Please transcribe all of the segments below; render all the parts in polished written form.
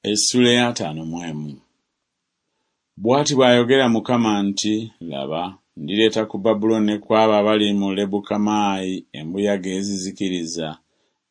Essuula ey'ataano mu emu. Bw'ati bw'ayogera Mukama nti, Laba, ndireeta ku Babulooni ne ku abo abali mu Lebukamaayi embuyaga ezizikiriza,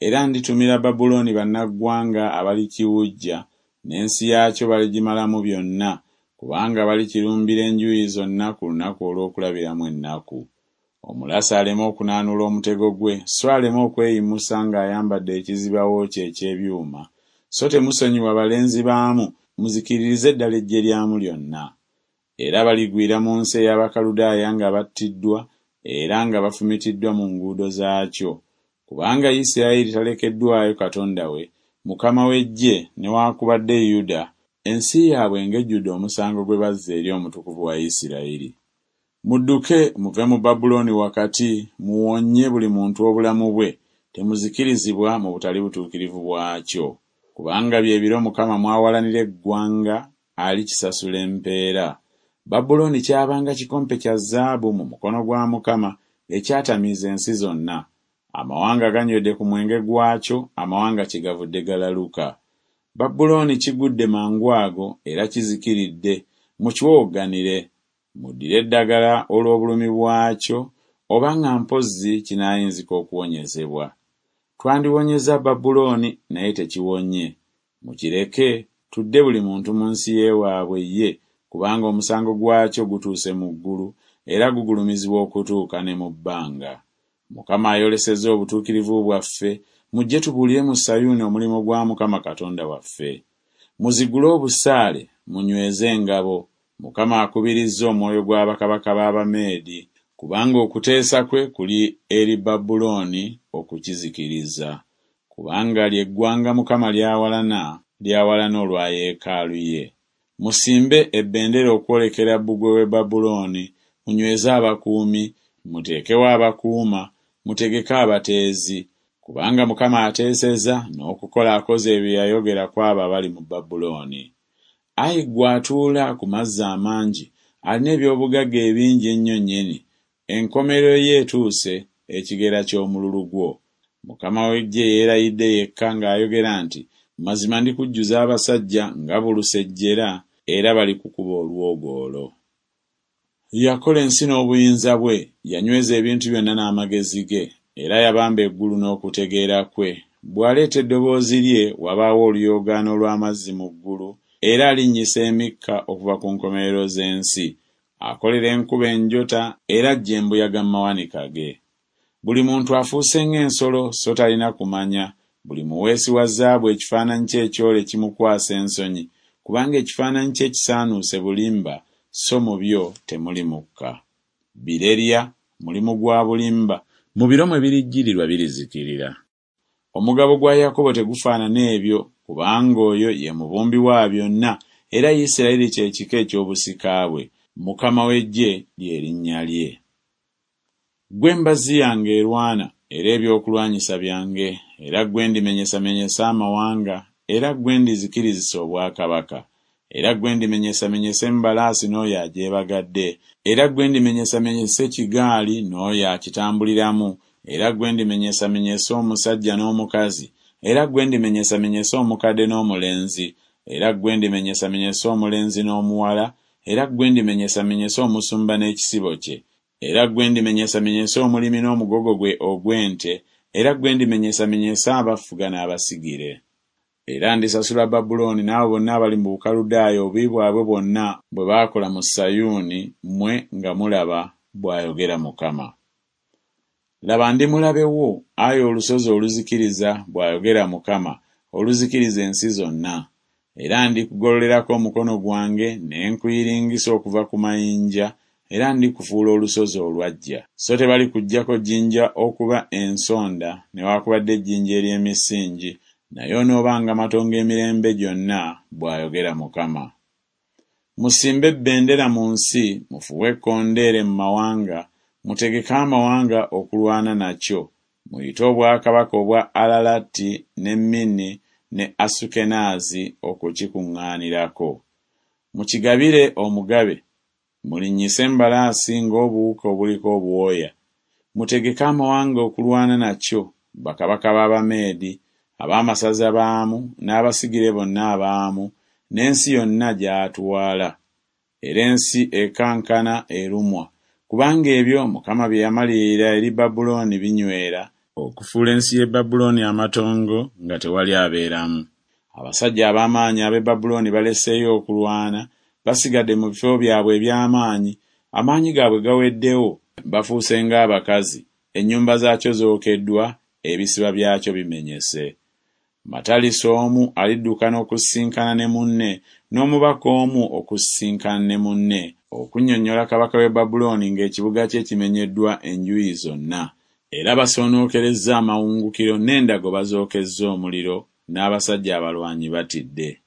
era nditumira Babulooni bannaggwanga abalikiwujja, n'ensi yaakyo baligimalamu byonna, kubanga balikirumbira enjuuyi zonna ku lunaku olw'okulabiramu ennaku. Omulasi aleme okunaanuula omutego gwe, so aleme okweyimusa ng'ayambadde ekizibawo kye eky'ebyuma, so temusonyiwa balenzi baamu, muzikiririze ddala eggye lyamu lyonna. Era baligwira mu nsi ey'Abakaludaaya nga battiddwa era nga bafumitiddwa mu nguudo zaakyo. Kubanga Isirayiri talekeddwayo Katonda we, Mukama w'eggye, newakubadde Yuda, ensi yaabwe ng'ejjudde omusango gwe bazza eri Omutukuvu wa Isirayiri. Mudduke muve mu Babulooni wakati, muwonye buli muntu obulamu bwe, temuzikirizibwa mu butali butuukirivu bwakyo. Kubanga bye biro Mukama mw'awalanira eggwanga, alikisasula empeera. Babulooni kyabanga kikompe kya zaabu mu mukono gwa Mukama, ekyatamiiza ensi zonna. Amawanga ganywedde ku mwenge gwakyo, amawanga kyegavudde galaluka. Babulooni kigudde mangu ago era kizikiridde, mukiwowogganire. Muddire eddagala olw'obulumi bwakyo, oba nga mpozzi kinaayinzika okuwonyezebwa. Twandiwonyezza Babulooni, naye tekiwonye. Mukireke, tudde buli muntu mu nsi y'ewaabwe ye, kubanga omusango gwakyo gutuuse mu ggulu, era gugulumizibwa okutuuka ne mu bbanga. Mukama ayolesezza obutuukirivu bwaffe, mujje tubuulire mu Sayuuni omulimu gwa Mukama Katonda waffe. Muzigule obusaale, munyweze engabo, Mukama akubirizza omwoyo gwa bakabaka b'Abameedi, kubanga okuteesa kwe kuli eri Babulooni okukizikiriza. Kubanga lye ggwanga Mukama ly'awalana, ly'awalana olwa yeekaalu ye. Musimbe ebendera okwolekera bbugwe w'e Babulooni, munyweze abakuumi, muteekewo abakuuma, mutegeke abateezi. Kubanga Mukama ateesezza n'okukola akoze ebyo bye yayogera ku abo abali mu Babulooni. Ayi ggwe atuula ku mazzi amangi, alina eby'obugagga ebingi ennyo nnyini, enkomerero yo etuuse, ekigera ky'omululu gwo. Mukama w'eggye yeerayidde yekka ng'ayogera nti, Mazima ndikujjuza abasajja nga bulusejjera, era balikukuba olwogoolo. Yakola ensi n'obuyinza bwe, yanyweza ebintu byonna n'amagezi ge, era yabamba eggulu n'okutegeera kwe. Bw'aleeta eddoboozi lye, wabaawo oluyoogaano lw'amazzi mu ggulu, era alinnyisa emikka okuva ku nkomerero z'ensi. Akolera enkuba enjota, era aggya embuyaga mu mawanika ge. Buli muntu afuuse ng'ensolo so talina kumanya, buli muweesi wa zaabu ekifaananyi kye ekyole kimukwasa ensonyi, kubanga ekifaananyi kye ekisaanuuse bulimba, so mu byo temuli mukka. Birerya, mulimu gwa bulimba, mu biro mwe birijjirirwa birizikirira. Omugabo gwa Yakobo tegufaanana ebyo, kubanga oyo ye mubumbi wa byonna, era Isirayiri kye kika eky'obusika bwe, Mukama w'eggye lye linnya lye. Ggwe mbazzi yange erwana era ebyokulwanyisa byange, era ggwe ndimenyesamenyesa amawanga, era ggwe ndizikirizisa obwakabaka. Era ggwe ndimenyesamenyesa embalaasi n'oyo agyebagadde, era ggwe ndimenyesamenyesa ekigaali n'oyo akitambuliramu, era ggwe ndimenyesamenyesa omusajja n'omukazi, era ggwe ndimenyesamenyesa omukadde n'omulenzi, era ggwe ndimenyesamenyesa omulenzi n'omuwala, era ggwe ndimenyesamenyesa omusumba n'ekisibo kye, era ggwe ndimenyesamenyesa omulimi n'omugogo gwe ogw'ente, era ggwe ndimenyesamenyesa abafuga n'abasigire. Era ndisasula Babulooni n'abo bonna abali mu Bukaludaaya obubi bwabwe bwonna bwe baakola mu Sayuuni, mmwe nga mulaba, bw'ayogera Mukama. Laba, ndi mulabe wo, ayi olusozi oluzikiriza, bw'ayogera Mukama, oluzikiriza ensi zonna. Era ndikugololerako omukono gwange ne nkuyiringisa okuva ku mayinja, era ndikufuula olusozi olwaggya. So tebalikuggyako jjinja okuba ensonda newakubadde ejjinja ery'emisingi, naye onoobanga matongo emirembe gyonna, bw'ayogera Mukama. Musimbe bendera mu nsi, mufuuwe ekkondeere mu mawanga, mutegeke amawanga okulwana nakyo, muyite obwakabaka obwa Alalati ne Minni ne Asukenaazi okukikuŋŋaanirako. Mukigabire omugabe, mulinnyise embalaasi ng'obuwuka obuliko obwoya. Mutegeke amawanga okulwana nakyo, bakabaka b'Abameedi, Ab'amasaza baamu n'abasigire bonna abaamu, n'ensi yonna gy'atwala. Era ensi ekankana erumwa, kubanga ebyo Mukama bye yamalirira eri Babulooni binywera, okufuula ensi y'e Babulooni amatongo nga tewali abeeramu. Abasajja ab'amaanyi ab'e Babulooni baleseeyo okulwana, basigadde mu bifo byabwe eby'amaanyi, amaanyi gaabwe gaweddewo, bafuuse ng'abakazi, ennyumba zaakyo zookeddwa, ebisiba byakyo bimenyese. Matalisi omu aliddukana okusisinkana ne munne, n'omubaka omu okusisinkana ne munne, okunnyonnyola kabaka w'e Babulooni ng'ekibuga kye kimenyeddwa enjuyi zonna, era basoonookerezza amawungukiro n'endago bazookezza omuliro, n'abasajja abalwanyi batidde.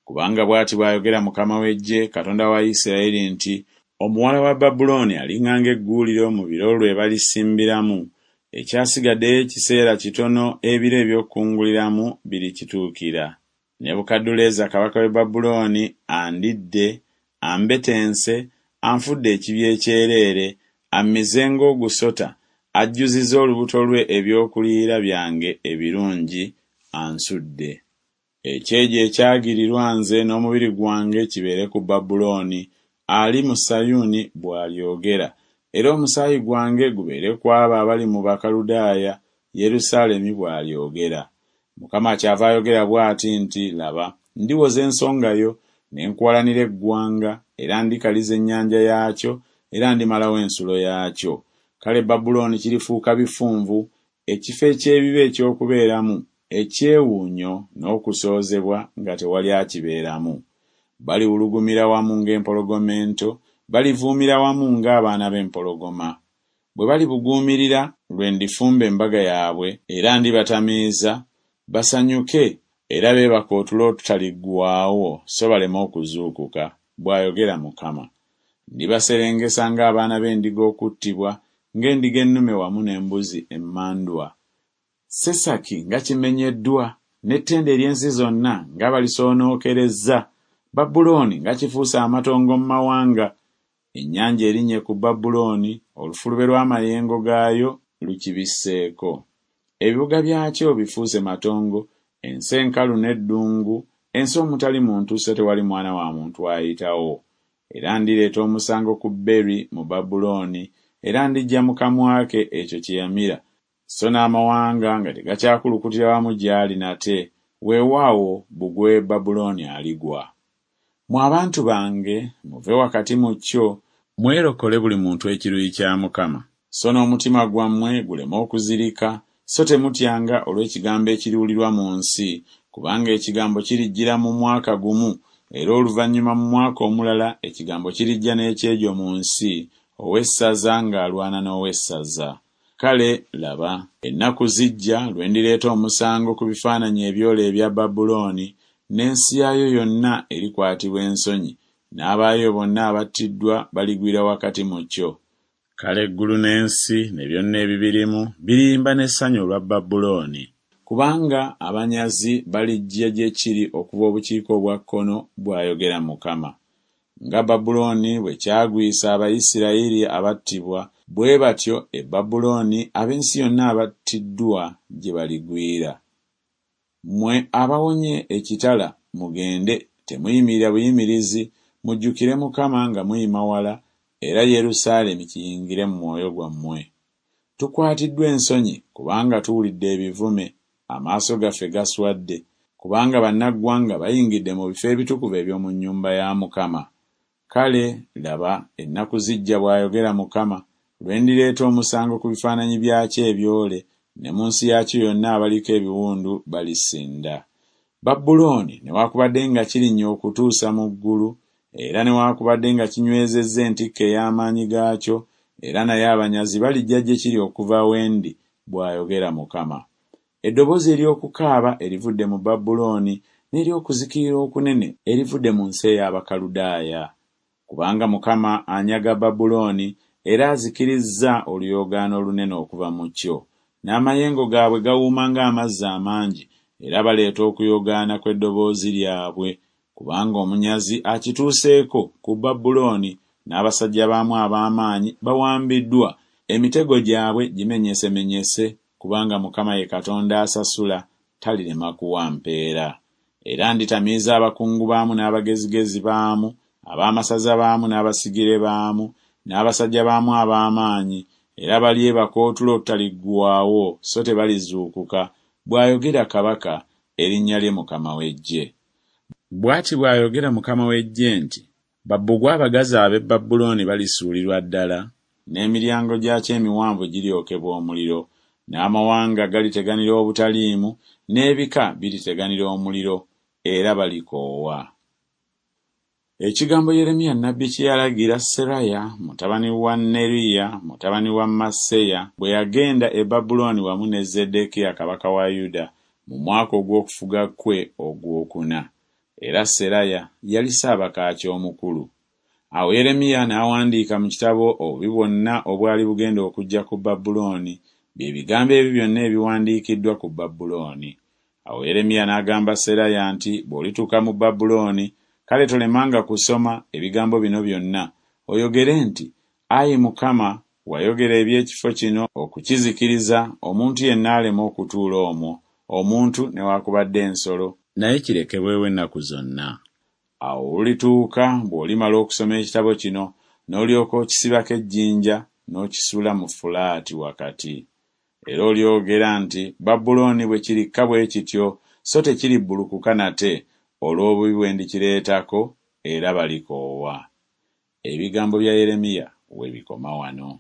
Kubanga bw'ati bw'ayogera Mukama w'eggye, Katonda wa Isiraeri nti Omuwala wa Babulooni aliŋŋanga egguuliro mu biro lwe balisimbiramu, ekyasigaddeyo ekiseera kitono ebiro eby'okukunguliramu birikituukira. Nebukadduleeza kabaka w'e Babulooni andidde, ambetense, anfudde ekibya ekyereere, ammize ng'ogusota, ajjuzizza olubuto lwe ebyokuliira byange ebirungi, ansudde. Ekyejo ekyagirirwa nze n'omubiri gwange kibeere ku Babulooni, ali mu Sayuuni bw'alyogera, era omusaayi gwange gubeere ku abo abali mu Bakaludaaya, Yerusaalemi bw'alyogera. Mukama kyava ayogera bw'ati nti Laba, ndiwoza ensonga yo, ne nkuwalanira eggwanga, era ndikaliza ennyanja yaakyo, era ndimalawo ensulo yaakyo. Kale Babulooni kirifuuka bifunvu, ekifo eky'ebibe eky'okubeeramu, ekyewuunyo n'okusoozebwa nga tewali akibeeramu. Baliwulugumira wamu ng'empologoma ento, balivuumira wamu ng'abaana b'empologoma. Bwe balibuguumirira lwe ndifumba embaga yaabwe, era ndibatamiiza, basanyuke era beebake otulo otutaliggwaawo so baleme okuzuukuka, bw'ayogera Mukama. Ndibaserengesa ng'abaana b'endiga okuttibwa, ng'endiga ennume wamu n'embuzi emmandwa. Sesaki nga kimenyeddwa, n'ettendo ery'ensi zonna nga balisoonookerezza! Babulooni nga kifuuse amatongo mu mawanga! Ennyanja erinnye ku Babulooni, olufulube lw'amayengo gaayo lukibisseeko. Ebibuga byakyo bifuuse matongo, ensi enkalu n'eddungu, ensi omutali muntu so tewali mwana wa muntu ayitawo. Era ndireeta omusango ku Beri mu Babulooni, era ndiggya mu kamwa ke ekyo kye yamira, so n'amawanga nga tegakyakulukutira wamu gy'ali nate, weewaawo, bbugwe w'e Babulooni aligwa. Mmwe abantu bange, muve wakati mu kyo, mwerokole buli muntu ekiruyi kya Mukama, so n'omutima gwammwe guleme okuzirika, so temutyanga olw'ekigambo ekiriwulirwa mu nsi, kubanga ekigambo kirijjira mu mwaka gumu, era oluvannyuma mu mwaka omulala ekigambo kirijja n'ekyejo mu nsi, ow'essaza ng'alwana n'ow'essaza. Kale, laba, ennaku zijja lwe ndireeta omusango ku bifaananyi ebyole ebya Babulooni, n'ensi yaayo yonna erikwatibwa ensonyi, n'abaayo bonna abattiddwa baligwira wakati mu kyo. Kale eggulu n'ensi ne byonna ebibirimu biriyimba n'essanyu olwa Babulooni. Kubanga abanyazi balijja gye kiri okuva obukiika obwa kkono, bw'ayogera Mukama. Nga Babulooni bwe kyagwisa Abayisirayiri abattibwa, bwe batyo e Babulooni ab'ensi yonna abattiddwa gye baligwira. Mmwe abawonye ekitala, mugende, temuyimirira buyimirizi, mujjukire Mukama nga muyima wala, era Yerusaalemi kiyingire mu mwoyo gwammwe. Tukwatiddwa ensonyi kubanga tuwulidde ebivume, amaaso gaffe gaswadde, kubanga bannaggwanga bayingidde mu bifo ebitukuvu eby'omu nnyumba ya Mukama. Kale, laba, ennaku zijja, bw'ayogera Mukama, lwe ndireeta omusango ku bifaananyi byakyo ebyole, ne mu nsi yaakyo yonna abaliko ebiwundu balisinda. Babulooni newakubadde nga kirinnya okutuusa mu ggulu, era newakubadde nga kinywezezza entikko ey'amaanyi gaakyo, era naye abanyazi balijja gye kiri okuva we ndi, bw'ayogera Mukama. Eddoboozi ery'okukaaba erivudde mu Babulooni, n'ery'okuzikirira okunene erivudde mu nsi ey'Abakaludaaya. Kubanga Mukama anyaga Babulooni, era azikirizza oluyoogaano olunene okuva mu kyo. N'amayengo gaabwe gawuuma ng'amazzi amangi, era baleeta okuyoogaana kw'eddoboozi lyabwe, kubanga omunyazi akituuseeko ku Babulooni, n'abasajja baamu ab'amaanyi bawambiddwa, emitego gyabwe gimenyesemenyese, kubanga Mukama ye Katonda asasula, talirema kuwa mpeera. Era nditamiiza abakungu baamu n'abagezigezi baamu, ab'amasaza baamu n'abasigire baamu, n'abasajja baamu ab'amaanyi, era balyebaka otulo otutaliggwaawo so tebalizuukuka, bw'ayogera Kabaka, erinnya lye Mukama w'eggye. Bw'ati bw'ayogera Mukama w'eggye nti Babbugwe abagazi ab'e Babulooni balisuulirwa ddala, n'emiryango gyakyo emiwanvu giryokebwa omuliro, n'amawanga galiteganira obutaliimu, n'ebika biriteganira omuliro, era balikoowa. Ekigambo Yeremiya nnabbi kye yalagira Seraya mutabani wa Neriya mutabani wa Maseya bwe yagenda e Babulooni wamu ne Zeddekiya kabaka wa Yuda mu mwaka ogw'okufuga kwe ogw'okuna. Era Seraya yali ssaabakaaki omukulu. Awo Yeremiya n'awandiika mu kitabo obubi bwonna obwali bugenda okujja ku Babulooni, bye bigambo ebyo byonna ebiwandiikiddwa ku Babulooni. Awo Yeremiya n'agamba Seraya nti, Bw'olituuka mu Babulooni, kale tolemanga kusoma ebigambo bino byonna, oyogere nti, Ayi Mukama, wayogera eby'ekifo kino okukizikiriza, omuntu yenna aleme okutuula omwo, omuntu newakubadde ensolo, naye kirekebwewo ennaku zonna. Awo olulituuka bw'olimala okusoma ekitabo kino, n'olyoka okisibako ejjinja, n'okisuula mu Fulaati wakati. Era olyogera nti Babulooni bwe kirikka bwe kityo, so tekiribbulukuka nate, olw'obubi bwe ndikireetako, era balikoowa. Ebigambo bya Yeremiya we bikoma wano.